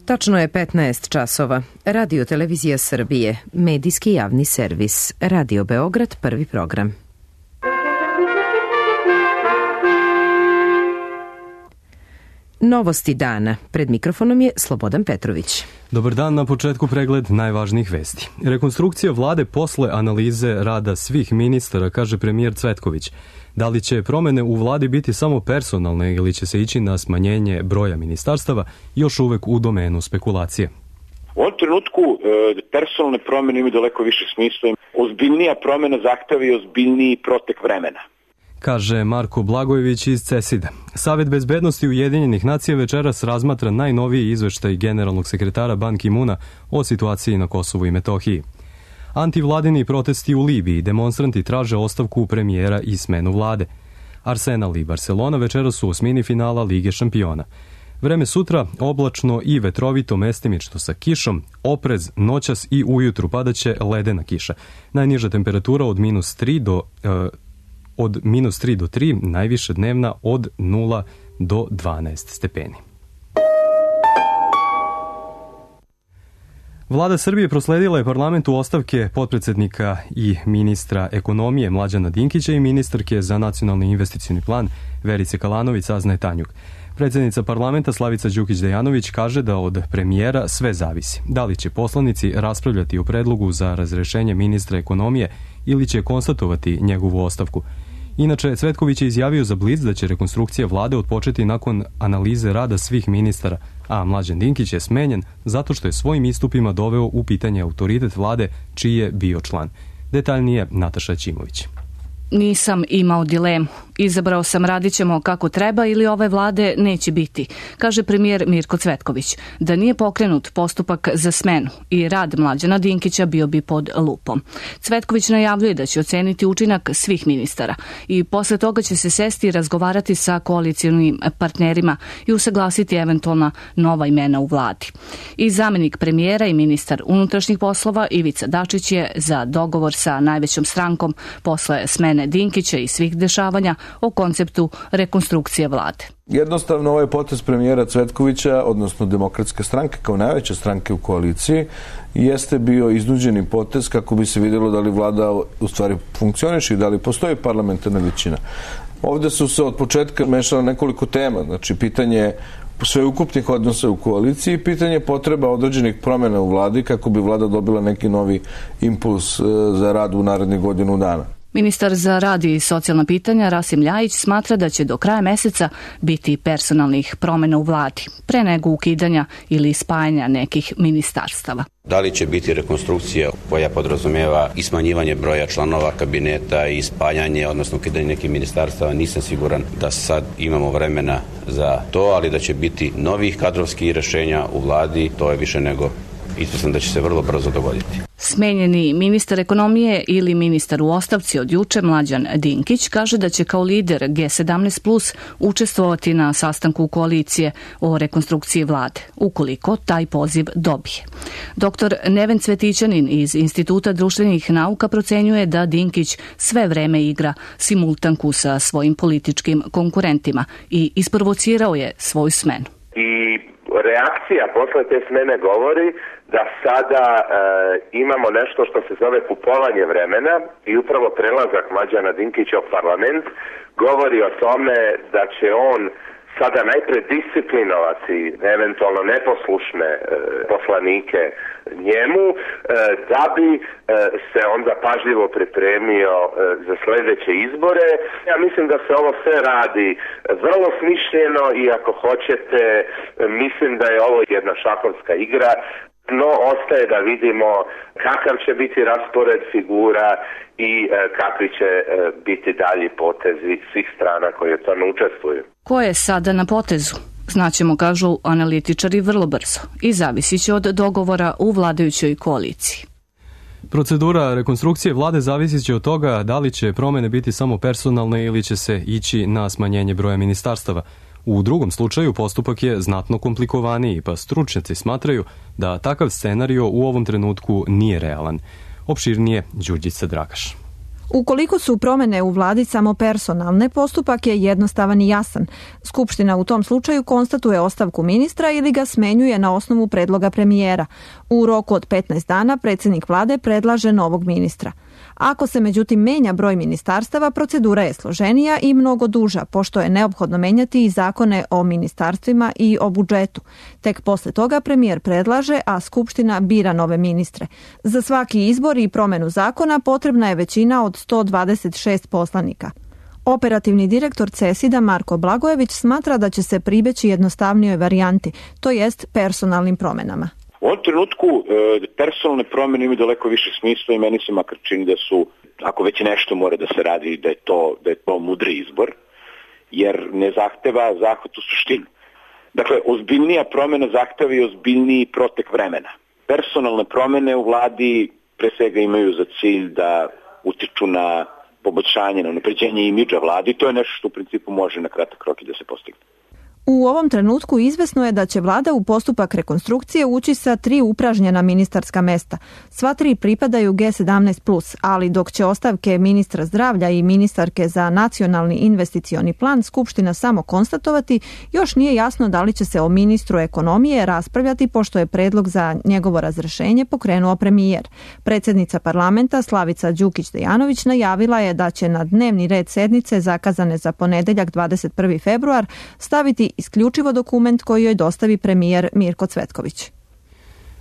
Tačno je 15 časova. Radio Televizija Srbije, medijski javni servis. Radio Beograd, prvi program. Novosti dana. Pred mikrofonom je Slobodan Petrović. Dobar dan, na početku pregled najvažnijih vesti. Rekonstrukcija vlade posle analize rada svih ministara, kaže premijer Cvetković. Da li će promene u vladi biti samo personalne ili će se ići na smanjenje broja ministarstava, još uvek u domenu spekulacije. U ovom trenutku personalne promene imaju daleko više smisla. Ozbiljnija promena zahteva i ozbiljniji protek vremena, kaže Marko Blagojević iz CESID-a. Savet bezbednosti Ujedinjenih nacija večeras razmatra najnoviji izveštaj generalnog sekretara Ban Ki-muna o situaciji na Kosovu i Metohiji. Antivladini protesti u Libiji, demonstranti traže ostavku premijera i smenu vlade. Arsenal i Barcelona večeras su u osmini finala Lige šampiona. Vreme sutra oblačno i vetrovito, mestimično sa kišom, oprez noćas i ujutru padaće ledena kiša. Najniža temperatura od -3 do 3, najviše dnevna od 0 do 12 stepeni. Vlada Srbije prosledila je parlamentu ostavke potpredsednika i ministra ekonomije Mlađana Dinkića i ministarke za nacionalni investicioni plan Verice Kalanović, saznaje Tanjug. Predsjednica parlamenta Slavica Đukić-Dejanović kaže da od premijera sve zavisi. Da li će poslanici raspravljati o predlogu za razrešenje ministra ekonomije ili će konstatovati njegovu ostavku. Inače, Cvetković je izjavio za Blic da će rekonstrukcija vlade otpočeti nakon analize rada svih ministara, a Mlađan Dinkić je smenjen zato što je svojim istupima doveo u pitanje autoritet vlade čiji je bio član. Detaljnije Nataša Ćimović. Nisam imao dilemu. Izabrao sam radit ćemo kako treba ili ove vlade neće biti, kaže premijer Mirko Cvetković. Da nije pokrenut postupak za smenu i rad Mlađana Dinkića bio bi pod lupom. Cvetković najavljuje da će oceniti učinak svih ministara i posle toga će se sesti i razgovarati sa koalicionim partnerima i usaglasiti eventualna nova imena u vladi. I zamenik premijera i ministar unutrašnjih poslova Ivica Dačić je za dogovor sa najvećom strankom posle smene Dinkića i svih dešavanja o konceptu rekonstrukcije vlade. Jednostavno ovaj potez premijera Cvetkovića, odnosno Demokratske stranke kao najveće stranke u koaliciji, jeste bio iznuđeni potez kako bi se vidjelo da li vlada u stvari funkcioniše i da li postoji parlamentarna većina. Ovdje su se od početka mešala nekoliko tema, znači pitanje sveukupnih odnosa u koaliciji i pitanje potreba određenih promjena u vladi kako bi vlada dobila neki novi impuls za rad u narednih godinu dana. Ministar za rad i socijalna pitanja Rasim Ljajić smatra da će do kraja meseca biti personalnih promjena u vladi, pre nego ukidanja ili spajanja nekih ministarstava. Da li će biti rekonstrukcija koja podrazumijeva i smanjivanje broja članova kabineta i spajanje, odnosno ukidanje nekih ministarstava, nisam siguran da sad imamo vremena za to, ali da će biti novih kadrovskih rješenja u vladi, to je više nego ispostavljam da će se vrlo brzo dogoditi. Smenjeni ministar ekonomije ili ministar u ostavci od juče Mlađan Dinkić kaže da će kao lider G17+ učestvovati na sastanku koalicije o rekonstrukciji vlade, ukoliko taj poziv dobije. Dr. Neven Cvetićanin iz Instituta društvenih nauka procenjuje da Dinkić sve vreme igra simultanku sa svojim političkim konkurentima i isprovocirao je svoju smenu. Reakcija posle te smene govori da sada imamo nešto što se zove kupovanje vremena i upravo prelazak Mlađana Dinkića u parlament govori o tome da će on sada najpre disciplinovati eventualno neposlušne poslanike njemu, da bi se onda pažljivo pripremio za sljedeće izbore. Ja mislim da se ovo sve radi vrlo smišljeno i ako hoćete, mislim da je ovo jedna šahovska igra, no ostaje da vidimo kakav će biti raspored figura i kakvi će biti dalji potezi svih strana koje u tome učestvuju. Ko je sada na potezu? Znaćemo, kažu analitičari, vrlo brzo i zavisit će od dogovora u vladajućoj koaliciji. Procedura rekonstrukcije vlade zavisit će od toga da li će promjene biti samo personalne ili će se ići na smanjenje broja ministarstava. U drugom slučaju postupak je znatno komplikovaniji, pa stručnjaci smatraju da takav scenario u ovom trenutku nije realan. Opširnije Đurđica Dragaš. Ukoliko su promene u vladi samo personalne, postupak je jednostavan i jasan. Skupština u tom slučaju konstatuje ostavku ministra ili ga smenjuje na osnovu predloga premijera. U roku od 15 dana predsjednik vlade predlaže novog ministra. Ako se međutim menja broj ministarstava, procedura je složenija i mnogo duža, pošto je neophodno menjati i zakone o ministarstvima i o budžetu. Tek posle toga premijer predlaže, a Skupština bira nove ministre. Za svaki izbor i promenu zakona potrebna je većina od 126 poslanika. Operativni direktor CESID-a Marko Blagojević smatra da će se pribeći jednostavnijoj varijanti, to jest personalnim promenama. U ovom trenutku personalne promjene imaju daleko više smisla i meni se makar čini da su, ako već nešto mora da se radi, da je to mudri izbor, jer ne zahteva zahvat u suštinu. Dakle, ozbiljnija promjena zahteva i ozbiljniji protek vremena. Personalne promjene u vladi pre svega imaju za cilj da utiču na poboljšanje, na unapređenje imidža vlade i to je nešto što u principu može na kratak rok i da se postigne. U ovom trenutku izvesno je da će vlada u postupak rekonstrukcije ući sa 3 upražnjena ministarska mesta. Sva 3 pripadaju G17+, ali dok će ostavke ministra zdravlja i ministarke za nacionalni investicioni plan Skupština samo konstatovati, još nije jasno da li će se o ministru ekonomije raspravljati pošto je predlog za njegovo razrešenje pokrenuo premijer. Predsjednica parlamenta Slavica Đukić-Dejanović najavila je da će na dnevni red sednice zakazane za ponedeljak 21. februar staviti isključivo dokument koji joj dostavi premijer Mirko Cvetković.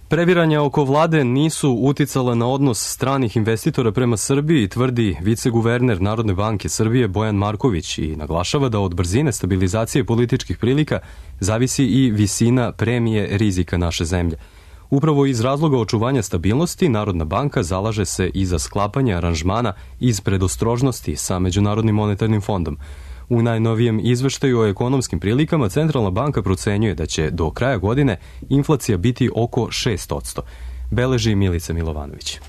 Previranja oko vlade nisu uticala na odnos stranih investitora prema Srbiji, tvrdi viceguverner Narodne banke Srbije Bojan Marković i naglašava da od brzine stabilizacije političkih prilika zavisi i visina premije rizika naše zemlje. Upravo iz razloga očuvanja stabilnosti, Narodna banka zalaže se i za sklapanje aranžmana iz predostrožnosti sa Međunarodnim monetarnim fondom. U najnovijem izveštaju o ekonomskim prilikama Centralna banka procenjuje da će do kraja godine inflacija biti oko 6%. Beleži Milica Milovanović.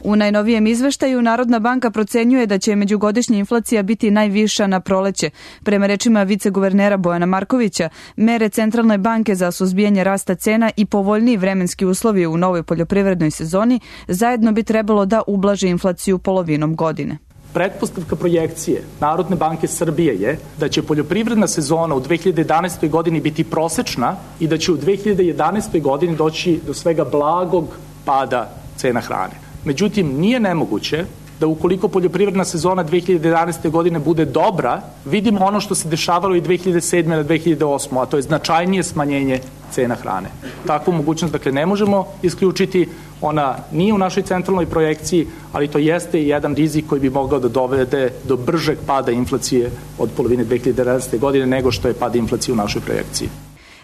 U najnovijem izveštaju Narodna banka procenjuje da će međugodišnja inflacija biti najviša na proleće. Prema rečima viceguvernera Bojana Markovića, mere Centralne banke za suzbijanje rasta cena i povoljniji vremenski uslovi u novoj poljoprivrednoj sezoni zajedno bi trebalo da ublaže inflaciju polovinom godine. Pretpostavka projekcije Narodne banke Srbije je da će poljoprivredna sezona u 2011. godini biti prosečna i da će u 2011. godini doći do svega blagog pada cena hrane. Međutim, nije nemoguće da ukoliko poljoprivredna sezona 2011. godine bude dobra, vidimo ono što se dešavalo i 2007. na 2008. a to je značajnije smanjenje cena hrane. Takvu mogućnost, dakle, ne možemo isključiti, ona nije u našoj centralnoj projekciji, ali to jeste jedan rizik koji bi mogao da dovede do bržeg pada inflacije od polovine 2011. godine nego što je pad inflacije u našoj projekciji.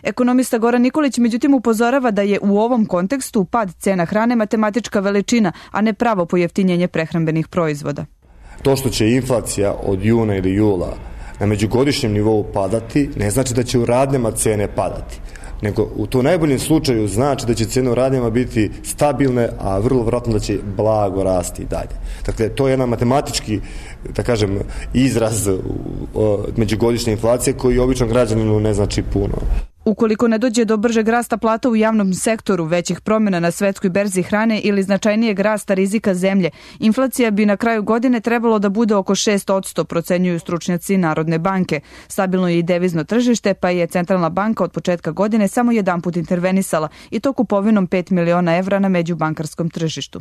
Ekonomista Goran Nikolić međutim upozorava da je u ovom kontekstu pad cena hrane matematička veličina, a ne pravo pojeftinjenje prehrambenih proizvoda. To što će inflacija od juna ili jula na međugodišnjem nivou padati, ne znači da će u radnjama cene padati, nego u to najboljem slučaju znači da će cene u radnjama biti stabilne, a vrlo vjerojatno da će blago rasti i dalje. Dakle, to je jedan matematički, da kažem, izraz međugodišnje inflacije koji običnom građaninu ne znači puno. Ukoliko ne dođe do bržeg rasta plata u javnom sektoru, većih promjena na svetskoj berzi hrane ili značajnijeg rasta rizika zemlje, inflacija bi na kraju godine trebalo da bude oko 6%, procenjuju stručnjaci Narodne banke. Stabilno je i devizno tržište, pa je Centralna banka od početka godine samo jedanput intervenisala, i to kupovinom 5 miliona evra na međubankarskom tržištu.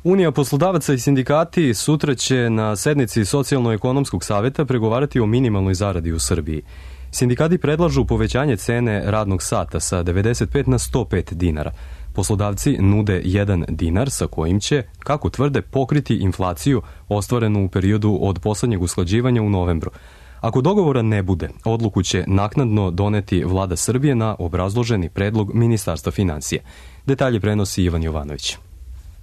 Unija poslodavaca i sindikati sutra će na sednici Socijalno-ekonomskog saveta pregovarati o minimalnoj zaradi u Srbiji. Sindikati predlažu povećanje cene radnog sata sa 95 na 105 dinara. Poslodavci nude 1 dinar sa kojim će, kako tvrde, pokriti inflaciju ostvarenu u periodu od poslednjeg usklađivanja u novembru. Ako dogovora ne bude, odluku će naknadno doneti Vlada Srbije na obrazloženi predlog Ministarstva finansija. Detalje prenosi Ivan Jovanović.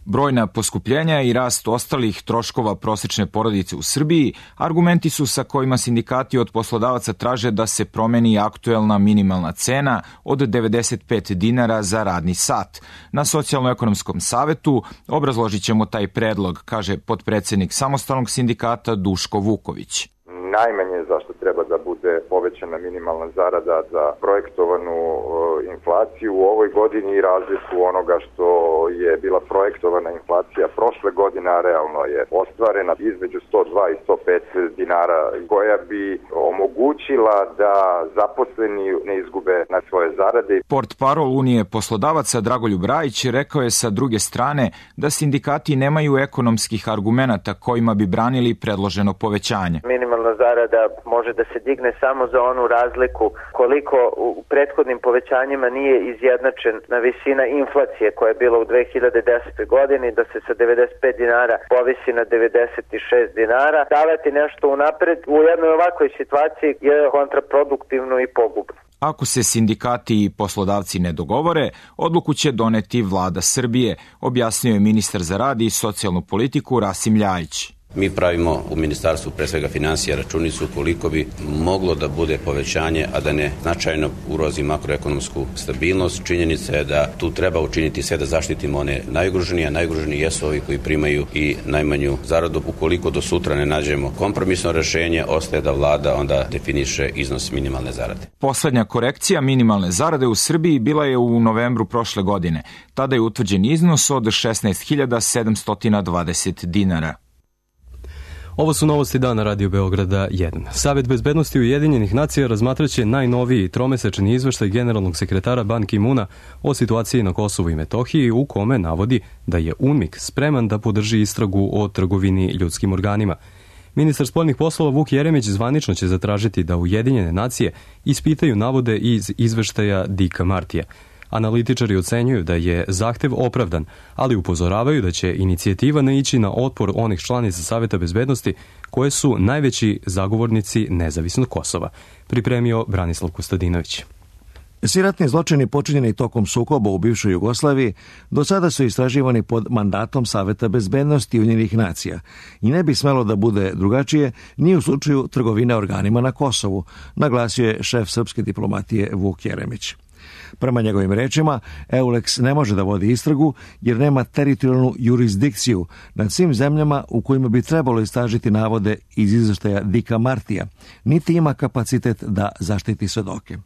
Brojna poskupljenja i rast ostalih troškova prosečne porodice u Srbiji argumenti su sa kojima sindikati od poslodavaca traže da se promeni aktuelna minimalna cena od 95 dinara za radni sat. Na Socijalno-ekonomskom savetu obrazložit ćemo taj predlog, kaže potpredsednik samostalnog sindikata Duško Vuković. Najmanje zašto treba treba da bude povećana minimalna zarada za projektovanu inflaciju u ovoj godini i razliku onoga što je bila projektovana inflacija prošle godine, a realno je ostvarena između 102 i 105 dinara, koja bi omogućila da zaposleni ne izgube na svoje zarade. Portparol Unije poslodavaca Dragoljub Rajić rekao je sa druge strane da sindikati nemaju ekonomskih argumenata kojima bi branili predloženo povećanje. Minimalna zarada može da se digne samo za onu razliku koliko u prethodnim povećanjima nije izjednačena visina inflacije koja je bila u 2010. godini, da se sa 95 dinara povisi na 96 dinara. Davati nešto unapred u jednoj ovakvoj situaciji je kontraproduktivno i pogubno. Ako se sindikati i poslodavci ne dogovore, odluku će doneti vlada Srbije, objasnio je ministar za rad i socijalnu politiku Rasim Ljajić. Mi pravimo u Ministarstvu pre svega financija računicu koliko bi moglo da bude povećanje, a da ne značajno ugrozi makroekonomsku stabilnost. Činjenica je da tu treba učiniti sve da zaštitimo one najugroženije, a najugroženiji jesu ovi koji primaju i najmanju zaradu. Ukoliko do sutra ne nađemo kompromisno rešenje, ostaje da vlada onda definiše iznos minimalne zarade. Poslednja korekcija minimalne zarade u Srbiji bila je u novembru prošle godine. Tada je utvrđen iznos od 16.720 dinara. Ovo su novosti dana Radio Beograda 1. Savet bezbednosti Ujedinjenih nacija razmatraće najnoviji tromesečni izveštaj generalnog sekretara Ban Ki-muna o situaciji na Kosovu i Metohiji, u kome navodi da je UNMIK spreman da podrži istragu o trgovini ljudskim organima. Ministar spoljnih poslova Vuk Jeremić zvanično će zatražiti da Ujedinjene nacije ispitaju navode iz izveštaja Dicka Martija. Analitičari ocenjuju da je zahtev opravdan, ali upozoravaju da će inicijativa naići na otpor onih članica Saveta bezbednosti koje su najveći zagovornici nezavisnog Kosova, pripremio Branislav Kostadinović. Svi ratni zločini počinjeni tokom sukoba u bivšoj Jugoslaviji do sada su istraživani pod mandatom Saveta bezbednosti Ujedinjenih nacija i ne bi smelo da bude drugačije ni u slučaju trgovine organima na Kosovu, naglasio je šef srpske diplomatije Vuk Jeremić. Prema njegovim rečima, EULEX ne može da vodi istragu jer nema teritorijalnu jurisdikciju nad svim zemljama u kojima bi trebalo istražiti navode iz izveštaja Dicka Martija, niti ima kapacitet da zaštiti svedoke.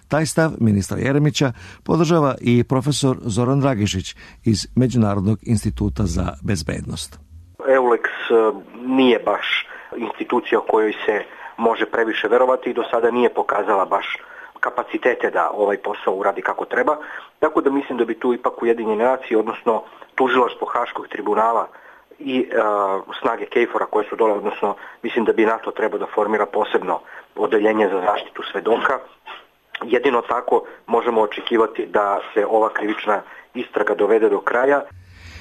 Taj stav ministra Jeremića podržava i profesor Zoran Dragišić iz Međunarodnog instituta za bezbednost. EULEX nije baš institucija kojoj se može previše verovati i do sada nije pokazala baš kapacitete da ovaj posao uradi kako treba, tako da mislim da bi tu ipak Ujedinjene nacije, odnosno tužilaštvo Haškog tribunala i snage KFOR-a koje su dole, odnosno mislim da bi NATO trebao da formira posebno odeljenje za zaštitu svedoka. Jedino tako možemo očekivati da se ova krivična istraga dovede do kraja.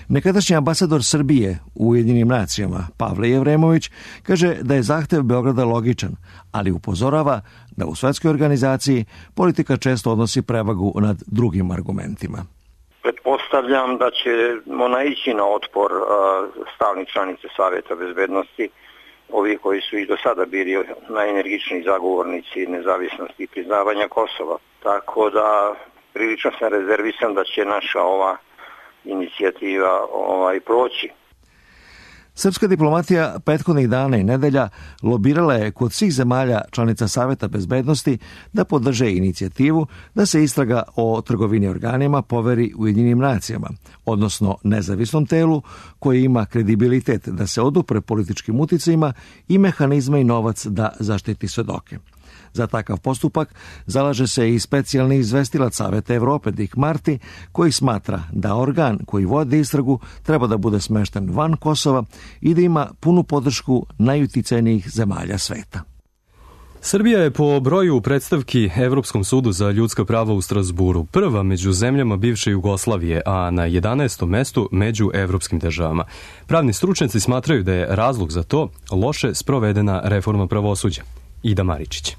Nekadašnji ambasador Srbije u Ujedinjenim nacijama, Pavle Jevremović, kaže da je zahtev Beograda logičan, ali upozorava da u svetskoj organizaciji politika često odnosi prevagu nad drugim argumentima. Pretpostavljam da ćemo naići na otpor stalnih članica Saveta bezbednosti, ovi koji su i do sada bili najenergičniji zagovornici nezavisnosti i priznavanja Kosova. Tako da prilično sam rezervisan da će naša ova inicijativa proći. Srpska diplomatija prethodnih dana i nedelja lobirala je kod svih zemalja članica Saveta bezbednosti da podrže inicijativu da se istraga o trgovini organima poveri Ujedinjenim nacijama, odnosno nezavisnom telu koje ima kredibilitet da se odupre političkim uticajima i mehanizme i novac da zaštiti svedoke. Za takav postupak zalaže se i specijalni izvestilac Saveta Evrope Dick Marty, koji smatra da organ koji vodi istragu treba da bude smešten van Kosova i da ima punu podršku najuticajnijih zemalja sveta. Srbija je po broju predstavki Evropskom sudu za ljudska prava u Strasburu prva među zemljama bivše Jugoslavije, a na 11. mestu među evropskim državama. Pravni stručnjaci smatraju da je razlog za to loše sprovedena reforma pravosuđa. Ida Maričić.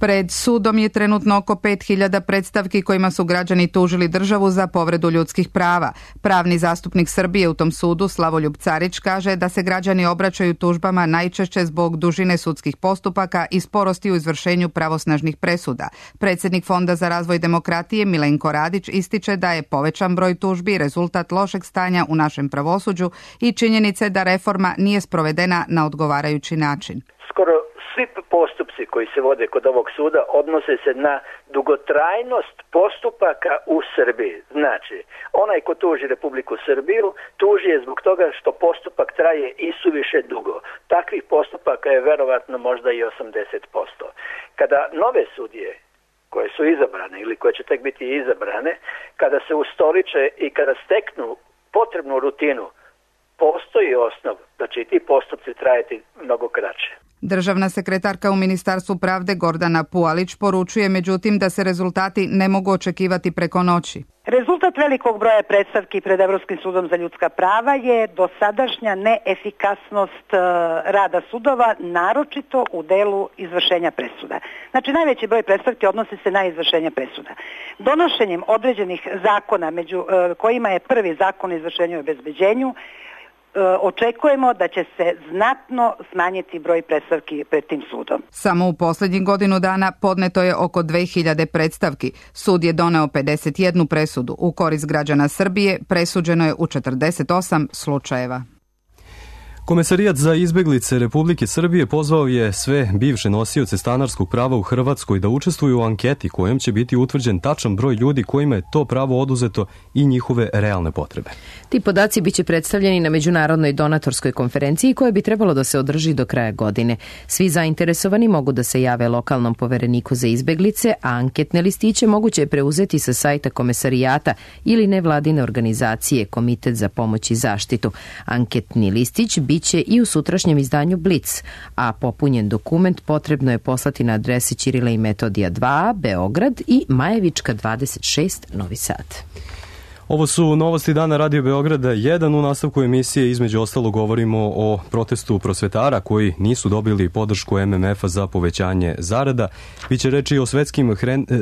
Pred sudom je trenutno oko 5000 predstavki kojima su građani tužili državu za povredu ljudskih prava. Pravni zastupnik Srbije u tom sudu, Slavoljub Carić, kaže da se građani obraćaju tužbama najčešće zbog dužine sudskih postupaka i sporosti u izvršenju pravosnažnih presuda. Predsjednik Fonda za razvoj demokratije Milenko Radić ističe da je povećan broj tužbi rezultat lošeg stanja u našem pravosuđu i činjenice da reforma nije sprovedena na odgovarajući način. skoro svi postupci koji se vode kod ovog suda odnose se na dugotrajnost postupaka u Srbiji. Znači, onaj ko tuži Republiku Srbiju, tuži je zbog toga što postupak traje isuviše dugo. Takvih postupaka je verovatno možda i 80%. Kada nove sudije koje su izabrane ili koje će tek biti izabrane, kada se ustoliče i kada steknu potrebnu rutinu, postoji osnov da će i ti postupci trajati mnogo kraće. Državna sekretarka u Ministarstvu pravde Gordana Pualić poručuje međutim da se rezultati ne mogu očekivati preko noći. Rezultat velikog broja predstavki pred Evropskim sudom za ljudska prava je dosadašnja neefikasnost rada sudova, naročito u delu izvršenja presuda. Znači, najveći broj predstavki odnosi se na izvršenje presuda. Donošenjem određenih zakona, među kojima je prvi zakon o izvršenju i obezbeđenju, očekujemo da će se znatno smanjiti broj predstavki pred tim sudom. Samo u posljednjih godinu dana podneto je oko 2000 predstavki. Sud je doneo 51 presudu. U korist građana Srbije presuđeno je u 48 slučajeva. Komesarijat za izbeglice Republike Srbije pozvao je sve bivše nosioce stanarskog prava u Hrvatskoj da učestvuju u anketi kojom će biti utvrđen tačan broj ljudi kojima je to pravo oduzeto i njihove realne potrebe. Ti podaci biće predstavljeni na međunarodnoj donatorskoj konferenciji koja bi trebalo da se održi do kraja godine. Svi zainteresovani mogu da se jave lokalnom povereniku za izbeglice, a anketne listiće moguće je preuzeti sa sajta komesarijata ili nevladine organizacije Komitet za pomoć i zaštitu. Anketni listić biće i u sutrašnjem izdanju Blic, a popunjen dokument potrebno je poslati na adrese Ćirila i Metodija 2, Beograd i Majevička 26, Novi Sad. Ovo su novosti dana Radio Beograda 1. U nastavku emisije između ostalog govorimo o protestu prosvetara koji nisu dobili podršku MMF-a za povećanje zarada. Biće reči o svetskim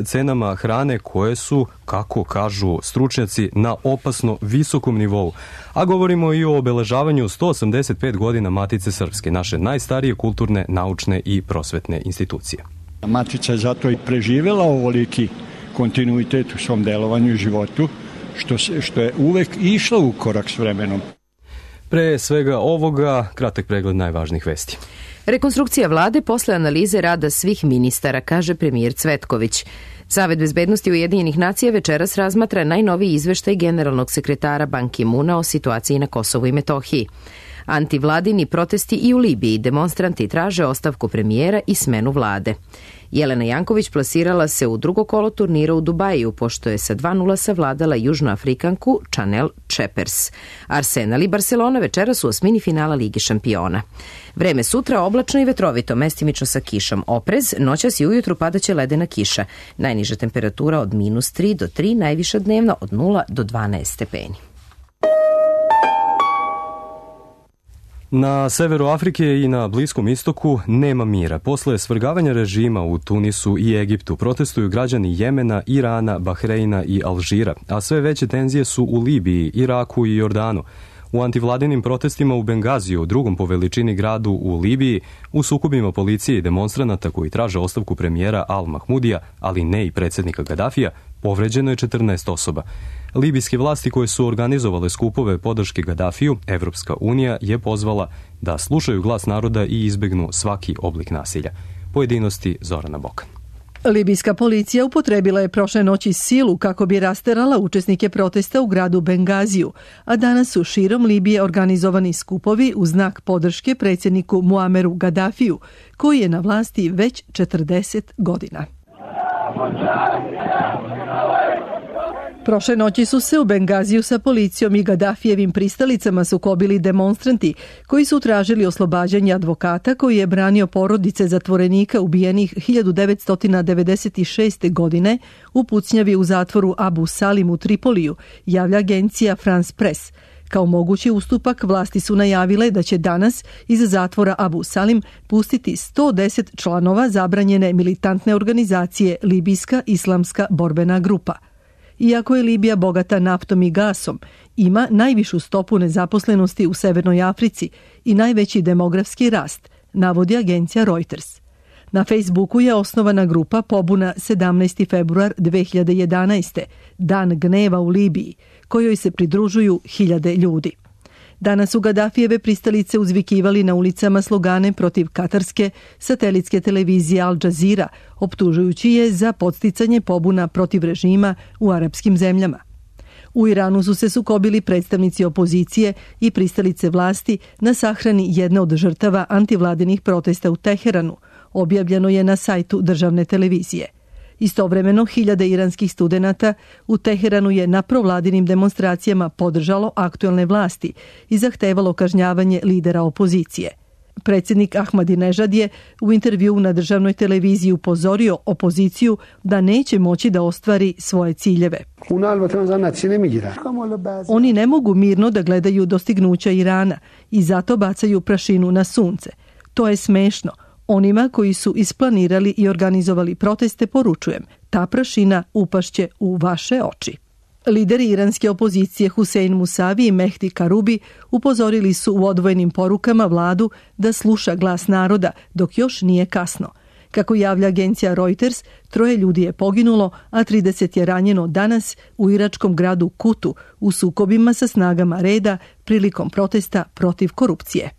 cenama hrane koje su, kako kažu stručnjaci, na opasno visokom nivou. A govorimo i o obeležavanju 185 godina Matice Srpske, naše najstarije kulturne, naučne i prosvetne institucije. Matica je zato i preživjela ovoliki kontinuitet u svom delovanju i životu, što je uvek išla u korak s vremenom. Pre svega ovoga, kratak pregled najvažnijih vesti. Rekonstrukcija vlade posle analize rada svih ministara, kaže premijer Cvetković. Savet bezbednosti Ujedinjenih nacija večeras razmatra najnoviji izveštaj generalnog sekretara Ban Ki-muna o situaciji na Kosovu i Metohiji. Antivladini protesti i u Libiji, demonstranti traže ostavku premijera i smenu vlade. Jelena Janković plasirala se u drugo kolo turnira u Dubaju, pošto je sa 2:0 savladala Južnoafrikanku Chanel Chepers. Arsenal i Barcelona večeras u osmini finala Lige šampiona. Vreme sutra oblačno i vetrovito, mestimično sa kišom. Oprez, noćas i ujutru padaće ledena kiša. Najniža temperatura od -3 do 3, najviša dnevno od 0 do 12 stepeni. Na severu Afrike i na Bliskom istoku nema mira. Posle svrgavanja režima u Tunisu i Egiptu protestuju građani Jemena, Irana, Bahreina i Alžira, a sve veće tenzije su u Libiji, Iraku i Jordanu. U antivladinim protestima u Bengaziju, drugom po veličini gradu u Libiji, u sukobima policije i demonstranata koji traže ostavku premijera Al-Mahmudija, ali ne i predsjednika Gadafija, povređeno je 14 osoba. Libijske vlasti koje su organizovale skupove podrške Gadafiju, Evropska unija je pozvala da slušaju glas naroda i izbegnu svaki oblik nasilja. Pojedinosti Zorana Bokan. Libijska policija upotrebila je prošle noći silu kako bi rasterala učesnike protesta u gradu Bengaziju, a danas su širom Libije organizovani skupovi u znak podrške predsjedniku Muameru Gadafiju, koji je na vlasti već 40 godina. Prošle noći su se u Bengaziju sa policijom i Gadafijevim pristalicama sukobili demonstranti koji su tražili oslobađanje advokata koji je branio porodice zatvorenika ubijenih 1996. godine u pucnjavi u zatvoru Abu Salim u Tripoliju, javlja agencija France Press. Kao mogući ustupak vlasti su najavile da će danas iz zatvora Abu Salim pustiti 110 članova zabranjene militantne organizacije Libijska islamska borbena grupa. Iako je Libija bogata naftom i gasom, ima najvišu stopu nezaposlenosti u Severnoj Africi i najveći demografski rast, navodi agencija Reuters. Na Facebooku je osnovana grupa Pobuna 17. februar 2011. Dan gneva u Libiji, kojoj se pridružuju hiljade ljudi. Danas su Gaddafijeve pristalice uzvikivali na ulicama slogane protiv katarske satelitske televizije Al Jazeera, optužujući je za podsticanje pobuna protiv režima u arapskim zemljama. U Iranu su se sukobili predstavnici opozicije i pristalice vlasti na sahrani jedne od žrtava antivladinih protesta u Teheranu, objavljeno je na sajtu državne televizije. Istovremeno, hiljade iranskih studenata u Teheranu je na provladinim demonstracijama podržalo aktuelne vlasti i zahtevalo kažnjavanje lidera opozicije. Predsjednik Ahmadinejad je u intervjuu na državnoj televiziji upozorio opoziciju da neće moći da ostvari svoje ciljeve. Oni ne mogu mirno da gledaju dostignuća Irana i zato bacaju prašinu na sunce. To je smešno. Onima koji su isplanirali i organizovali proteste poručujem, ta prašina upašće u vaše oči. Lideri iranske opozicije Husein Musavi i Mehdi Karubi upozorili su u odvojenim porukama vladu da sluša glas naroda dok još nije kasno. Kako javlja agencija Reuters, 3 ljudi je poginulo, a 30 je ranjeno danas u iračkom gradu Kutu u sukobima sa snagama reda prilikom protesta protiv korupcije.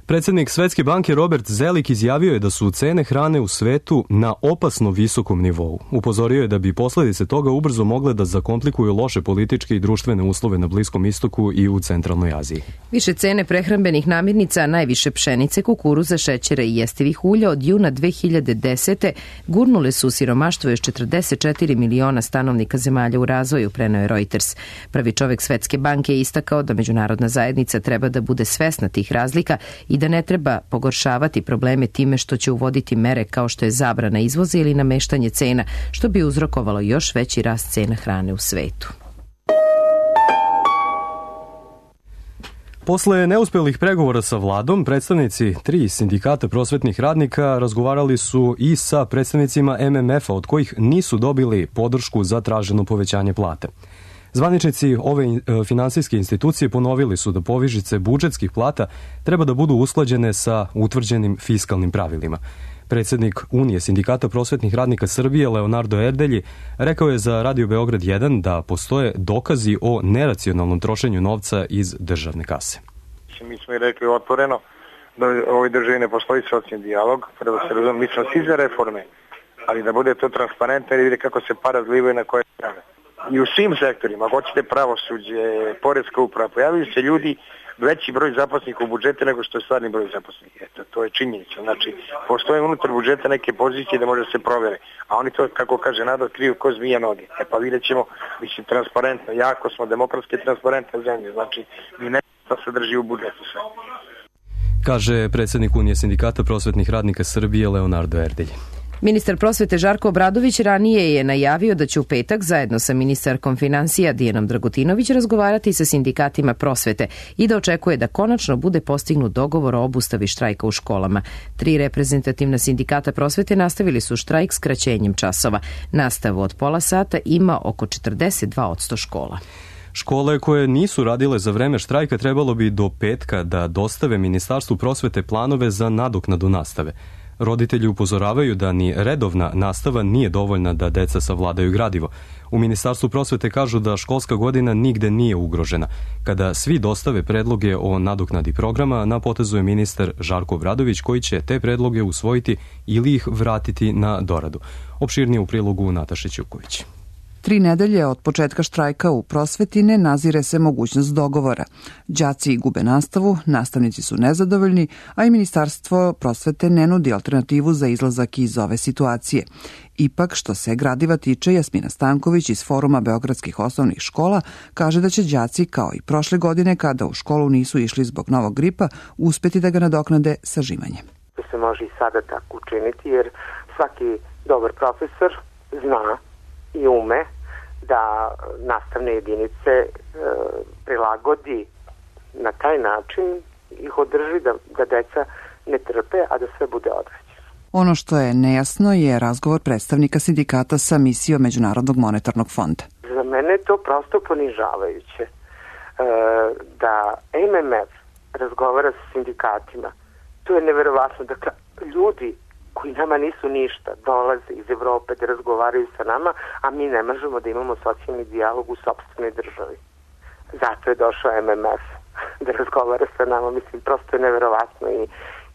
Predsjednik Svetske banke Robert Zelik izjavio je da su cene hrane u svetu na opasno visokom nivou. Upozorio je da bi posljedice toga ubrzo mogle da zakomplikuju loše političke i društvene uslove na Bliskom istoku i u centralnoj Aziji. Više cene prehrambenih namirnica, najviše pšenice, kukuruza, šećera i jestivih ulja od juna 2010. gurnule su siromaštvo još 44 miliona stanovnika zemalja u razvoju, preneo je Reuters. Prvi čovjek Svetske banke je istakao da međunarodna zajednica treba da bude svesna tih razlika i da ne treba pogoršavati probleme time što će uvoditi mere kao što je zabrana izvoza ili nameštanje cena, što bi uzrokovalo još veći rast cena hrane u svetu. Posle neuspelih pregovora sa vladom, predstavnici 3 sindikata prosvetnih radnika razgovarali su i sa predstavnicima MMF-a, od kojih nisu dobili podršku za traženo povećanje plate. Zvaničnici ove finansijske institucije ponovili su da povišice budžetskih plata treba da budu usklađene sa utvrđenim fiskalnim pravilima. Predsjednik Unije sindikata prosvetnih radnika Srbije Leonardo Erdelji rekao je za Radio Beograd 1 da postoje dokazi o neracionalnom trošenju novca iz državne kase. Mi smo i rekli otvoreno da u ovoj državi ne postoji socijalni dijalog, treba se razumjeti, mi smo svi za reforme, ali da bude to transparentno i vidi kako se para zlivaju na koje strane. I u svim sektorima, ako hoćete pravosuđe, poreska uprava, pojavili se ljudi, veći broj zaposlenih u budžete nego što je stvarni broj zaposlenih. Eto, to je činjenica. Znači, postoje unutar budžeta neke pozicije da može se provjere, a oni to, kako kaže narod, kriju ko zmija noge. E pa vidjet ćemo, mislim, transparentno, jako smo demokratske i transparentne zemlje, znači, mi ne da se drži u budžetu sve. Kaže predsjednik Unije sindikata prosvetnih radnika Srbije Leonardo Erdelji. Ministar prosvete Žarko Obradović ranije je najavio da će u petak zajedno sa ministarkom finansija Dijanom Dragutinović razgovarati sa sindikatima prosvete i da očekuje da konačno bude postignut dogovor o obustavi štrajka u školama. 3 reprezentativna sindikata prosvete nastavili su štrajk skraćenjem časova. Nastavu od pola sata ima oko 42% škola. Škole koje nisu radile za vreme štrajka trebalo bi do petka da dostave Ministarstvu prosvete planove za nadoknadu nastave. Roditelji upozoravaju da ni redovna nastava nije dovoljna da deca savladaju gradivo. U Ministarstvu prosvete kažu da školska godina nigde nije ugrožena. Kada svi dostave predloge o nadoknadi programa, na potezu je ministar Žarko Obradović koji će te predloge usvojiti ili ih vratiti na doradu. Opširnije u prilogu Nataše Ćuković. 3 nedelje od početka štrajka u prosveti ne nazire se mogućnost dogovora. Đaci gube nastavu, nastavnici su nezadovoljni, a i Ministarstvo prosvete ne nudi alternativu za izlazak iz ove situacije. Ipak, što se gradiva tiče, Jasmina Stanković iz Foruma beogradskih osnovnih škola kaže da će đaci, kao i prošle godine kada u školu nisu išli zbog novog gripa, uspeti da ga nadoknade sažimanjem. To se može i sada tako učiniti, jer svaki dobar profesor zna i ume da nastavne jedinice prilagodi na taj način, ih održi da deca ne trpe, a da sve bude odvraćeno. Ono što je nejasno je razgovor predstavnika sindikata sa misijom Međunarodnog monetarnog fonda. Za mene je to prosto ponižavajuće da MMF razgovara sa sindikatima. To je neverovatno. Dakle, ljudi koji nama nisu ništa, dolaze iz Evrope da razgovaraju sa nama, a mi ne možemo da imamo socijalni dijalog u sopstvenoj državi. Zato je došao MMF. da razgovara sa nama. Mislim, prosto je neverovatno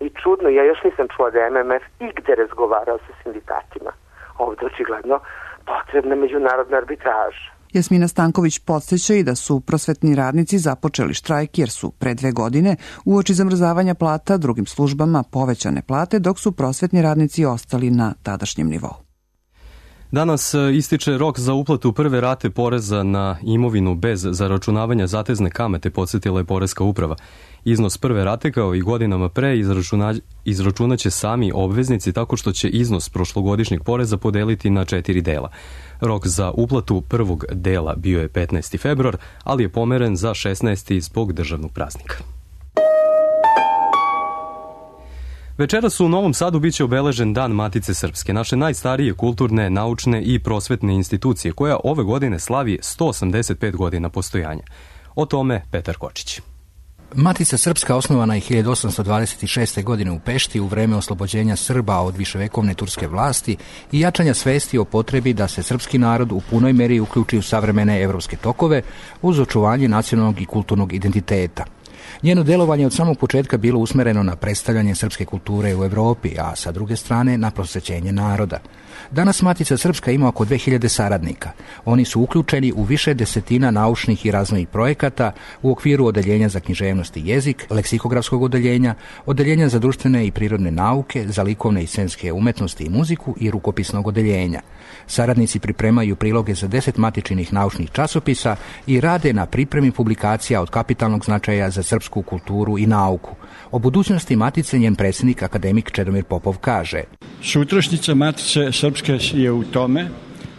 i čudno. Ja još nisam čula da je MMF igde razgovarao sa sindikatima. Ovde očigledno potrebna međunarodna arbitraža. Jasmina Stanković podsjeća i da su prosvetni radnici započeli štrajk jer su pre 2 godine uoči zamrzavanja plata drugim službama povećane plate, dok su prosvetni radnici ostali na tadašnjem nivou. Danas ističe rok za uplatu prve rate poreza na imovinu bez zaračunavanja zatezne kamate, podsjetila je Poreska uprava. Iznos prve rate kao i godinama pre izračunaće sami obveznici tako što će iznos prošlogodišnjeg poreza podeliti na 4 dela. Rok za uplatu prvog dela bio je 15. februar, ali je pomeren za 16. zbog državnog praznika. Večeras u Novom Sadu biće obeležen Dan Matice Srpske, naše najstarije kulturne, naučne i prosvetne institucije, koja ove godine slavi 185 godina postojanja. O tome Petar Kočić. Matica Srpska osnovana je 1826. godine u Pešti u vreme oslobođenja Srba od viševekovne turske vlasti i jačanja svesti o potrebi da se srpski narod u punoj meri uključi u savremene evropske tokove uz očuvanje nacionalnog i kulturnog identiteta. Njeno delovanje od samog početka bilo usmereno na predstavljanje srpske kulture u Evropi, a sa druge strane na prosvećenje naroda. Danas Matica Srpska ima oko 2000 saradnika. Oni su uključeni u više desetina naučnih i razvojnih projekata u okviru odeljenja za književnost i jezik, leksikografskog odeljenja, odeljenja za društvene i prirodne nauke, za likovne i scenske umetnosti i muziku i rukopisnog odeljenja. Saradnici pripremaju priloge za 10 matičinih naučnih časopisa i rade na pripremi publikacija od kapitalnog značaja za srpsku kulturu i nauku. O budućnosti Matice njen predsjednik akademik Čedomir Popov kaže: Sutrašnjica Matice Srpske je u tome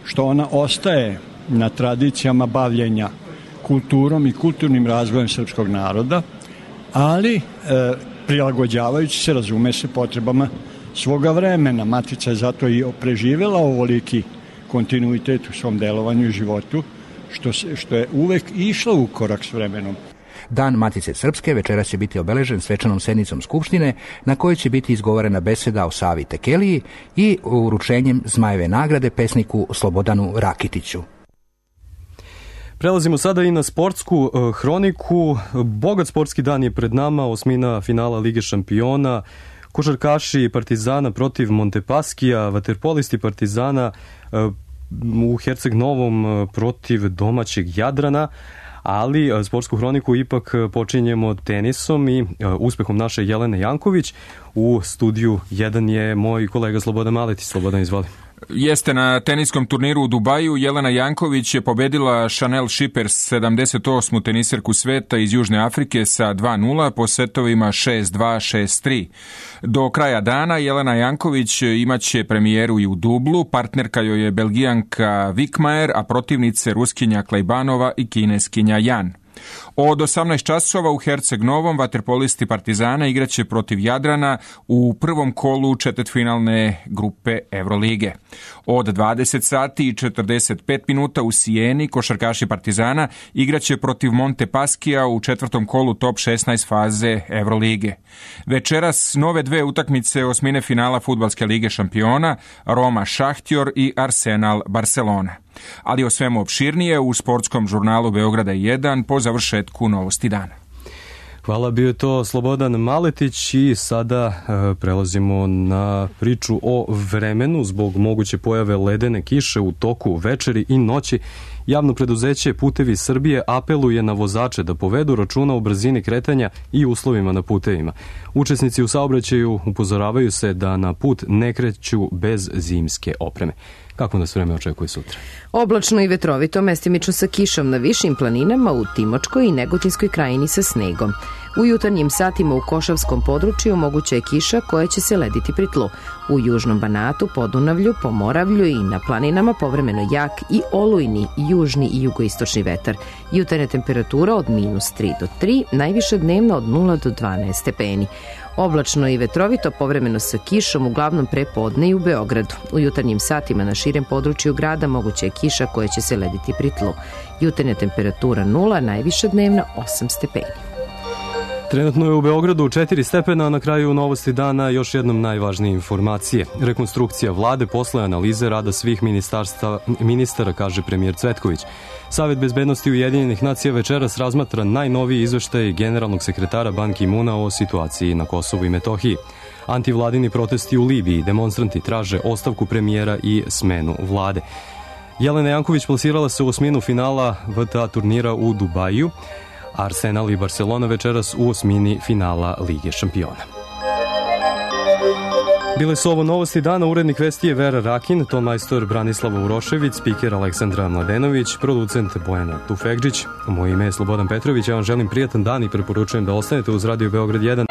što ona ostaje na tradicijama bavljenja kulturom i kulturnim razvojem srpskog naroda, ali prilagođavajući se, razume se, potrebama svoga vremena. Matica je zato i preživjela ovoliki kontinuitet u svom delovanju i životu, što je uvek išla u korak s vremenom. Dan Matice Srpske večeras će biti obeležen svečanom sednicom Skupštine na kojoj će biti izgovorena beseda o Savi Tekeliji i uručenjem Zmajeve nagrade pesniku Slobodanu Rakitiću. Prelazimo sada i na sportsku hroniku. Bogat sportski dan je pred nama, osmina finala Lige šampiona, košarkaši Partizana protiv Montepaskija, vaterpolisti Partizana u Herceg Novom protiv domaćeg Jadrana, ali sportsku hroniku ipak počinjemo tenisom i uspehom naše Jelene Janković. U studiju 1 je moj kolega Slobodan Maletić. Slobodan, izvoli. Jeste, na teniskom turniru u Dubaju Jelena Janković je pobedila Chanel Shippers, 78. teniserku sveta iz Južne Afrike sa 2-0 po setovima 6-2, 6-3. Do kraja dana Jelena Janković imaće premijeru i u dublu, partnerka joj je Belgijanka Vikmajer, a protivnice Ruskinja Klejbanova i Kineskinja Jan. Od 18 časova u Herceg Novom vaterpolisti Partizana igraće protiv Jadrana u prvom kolu četvrtfinalne grupe Evrolige. Od 20 sati i 45 minuta u Sijeni košarkaši Partizana igraće protiv Montepaskija u četvrtom kolu top 16 faze Evrolige. Večeras nove 2 utakmice osmine finala Fudbalske lige šampiona, Roma Šahtjor i Arsenal Barcelona. Ali o svemu opširnije u sportskom žurnalu Beograda 1 po završetku novosti dana. Hvala, bio je to Slobodan Maletić i sada prelazimo na priču o vremenu. Zbog moguće pojave ledene kiše u toku večeri i noći, javno preduzeće Putevi Srbije apeluje na vozače da povedu računa o brzini kretanja i uslovima na putevima. Učesnici u saobraćaju upozoravaju se da na put ne kreću bez zimske opreme. Kako nas vreme očekuje sutra? Oblačno i vetrovito, mestimično sa kišom na višim planinama, u Timočkoj i Negotinskoj krajini sa snegom. U jutarnjim satima u Košavskom području moguća je kiša koja će se lediti pri tlu. U južnom Banatu, Podunavlju, Pomoravlju i na planinama povremeno jak i olujni južni i jugoistočni vetar. Jutarnja temperatura od -3 do 3, najviša dnevna od 0 do 12 stepeni. Oblačno i vetrovito, povremeno sa kišom, uglavnom prepodne i u Beogradu. U jutarnjim satima na širem području grada moguća je kiša koja će se lediti pri tlu. Jutarnja temperatura 0, najviša dnevna 8 stepeni. Trenutno je u Beogradu 4 stepena, a na kraju novosti dana još jednom najvažnije informacije. Rekonstrukcija vlade posle analize rada svih ministara, kaže premijer Cvetković. Savet bezbednosti Ujedinjenih nacija večeras razmatra najnoviji izveštaj generalnog sekretara Ban Ki-muna o situaciji na Kosovu i Metohiji. Antivladini protesti u Libiji, demonstranti traže ostavku premijera i smenu vlade. Jelena Janković plasirala se u osminu finala VTA turnira u Dubaju. Arsenal i Barcelona večeras u osmini finala Lige šampiona. Bile su ovo novosti dana, urednik vesti je Vera Rakin, ton majstor Branislava Urošević, spiker Aleksandra Mladenović, producent Bojana Tufegđić. Moje ime je Slobodan Petrović, ja vam želim prijatan dan i preporučujem da ostanete uz Radio Beograd 1.